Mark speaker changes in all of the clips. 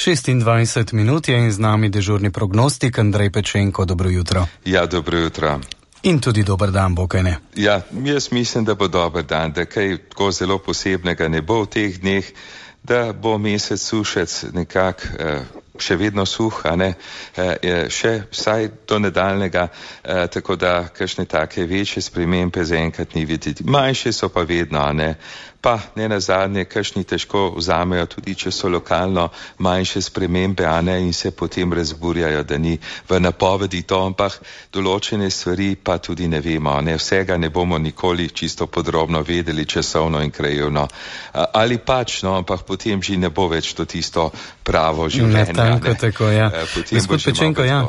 Speaker 1: 26 minut je in z nami dežurni prognostik Andrej Pečenko. Dobro jutro.
Speaker 2: Ja, dobro jutro.
Speaker 1: In tudi dober dan bo, kaj ne?
Speaker 2: Ja, jaz mislim, da bo dober dan, da kaj tako zelo posebnega ne bo v teh dneh, da bo mesec sušec nekako še vedno suh, a ne, še vsaj do nadaljnega, tako da kakšne take večje spremembe zaenkrat ni videti. Manjše so pa vedno, a ne, pa ne nazadnje, kakšni težko vzamejo, tudi če so lokalno manjše spremembe, a ne, in se potem razburjajo, da ni v napovedi to, ampak določene stvari pa tudi ne vemo, a ne, vsega ne bomo nikoli čisto podrobno vedeli časovno in krajevno. Ali pač, no, ampak potem že ne bo več to tisto pravo življenje.
Speaker 1: Tako, ja. Gospod Pečenko, ja,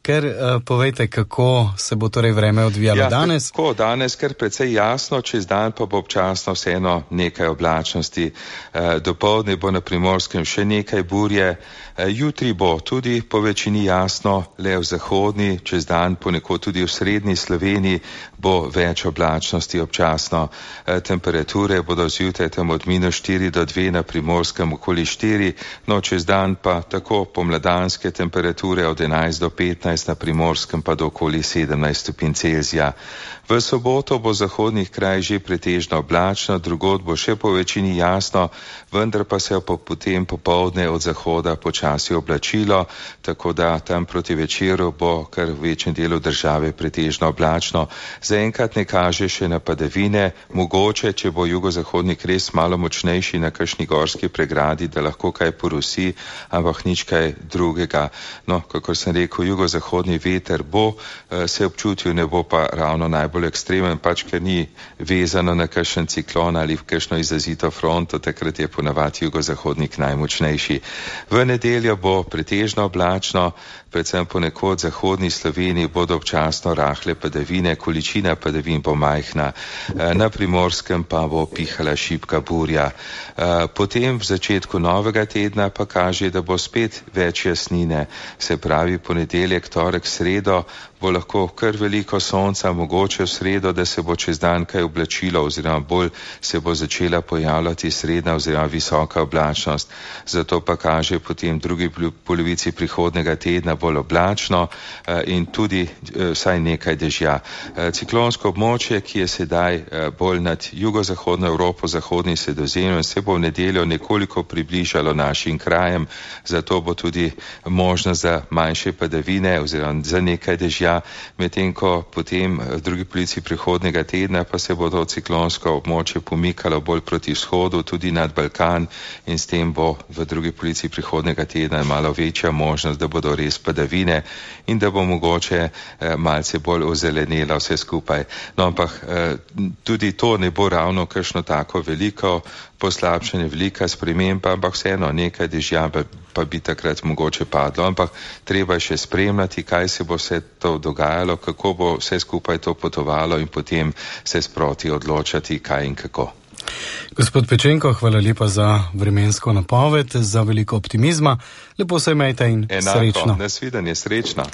Speaker 1: ker povejte, kako se bo torej vreme odvijalo danes?
Speaker 2: Tako, danes kar precej jasno, čez dan pa bo občasno vseeno nekaj oblačnosti. Dopoldne bo na Primorskem še nekaj burje, jutri bo tudi po večini jasno, le v zahodni, čez dan ponekod tudi v srednji Sloveniji bo več oblačnosti občasno. Temperature bodo zjutraj tam od -4 do 2, na Primorskem okoli 4, no čez dan pa tako pomladanske temperature od 11 do 15, na Primorskem pa do okoli 17 stopinj Celzija. V soboto bo zahodnih kraj že pretežno oblačno, drugod bo še po večini jasno, vendar pa se bo potem popoldne od zahoda počasi oblačilo, tako da tam proti večeru bo kar v večjem delu države pretežno oblačno. Zaenkrat ne kaže še na padavine, mogoče, če bo jugozahodnik res malo močnejši na kakšni gorski pregradi, da lahko kaj porusi, ampak nič kaj drugega. No, kakor sem rekel, jugozahodni veter bo se občutil, ne bo pa ravno najbolj ekstremen, pač ker ni vezano na kakšen ciklon ali v kakšno izrazito fronto, takrat je ponavadi jugozahodnik najmočnejši. V nedeljo bo pretežno oblačno, predvsem ponekod v zahodni Sloveniji bodo občasno rahle padavine, količina padavin bo majhna, na Primorskem pa bo pihala šibka burja. Potem v začetku novega tedna pa kaže, da bo spet več jasnine, se pravi ponedeljek, torek, sredo bo lahko kar veliko sonca, mogoče v sredo, da se bo čez dan kaj oblačilo oziroma bolj se bo začela pojavljati srednja oziroma visoka oblačnost. Zato pa kaže potem v drugi polovici prihodnega tedna bolj oblačno in tudi vsaj nekaj dežja. Ciklonsko območje, ki je sedaj bolj nad jugozahodno Evropo, zahodni Sredozemljem, se bo v nedeljo nekoliko približalo našim krajem, zato bo tudi možnost za manjše padavine oziroma za nekaj dežja, medtem ko potem v drugi polovici prihodnega tedna pa se bo to ciklonsko območje pomikalo bolj proti vzhodu, tudi nad Balkan, in s tem bo v drugi polovici prihodnega tedna malo večja možnost, da bodo res padavine in da bo mogoče malce bolj ozelenelo vse skupaj. No, ampak tudi to ne bo ravno kakšno tako veliko poslabšanje, velika sprememba, ampak vseeno nekaj dežja pa bi takrat mogoče padlo, ampak treba še spremljati, kaj se bo vse to dogajalo, kako bo vse skupaj to potovalo in potem se sproti odločati, kaj in kako.
Speaker 1: Gospod Pečenko, hvala lepa za vremensko napoved, za veliko optimizma. Lepo se imejte in
Speaker 2: enako,
Speaker 1: srečno.
Speaker 2: Nasvidenje, srečno.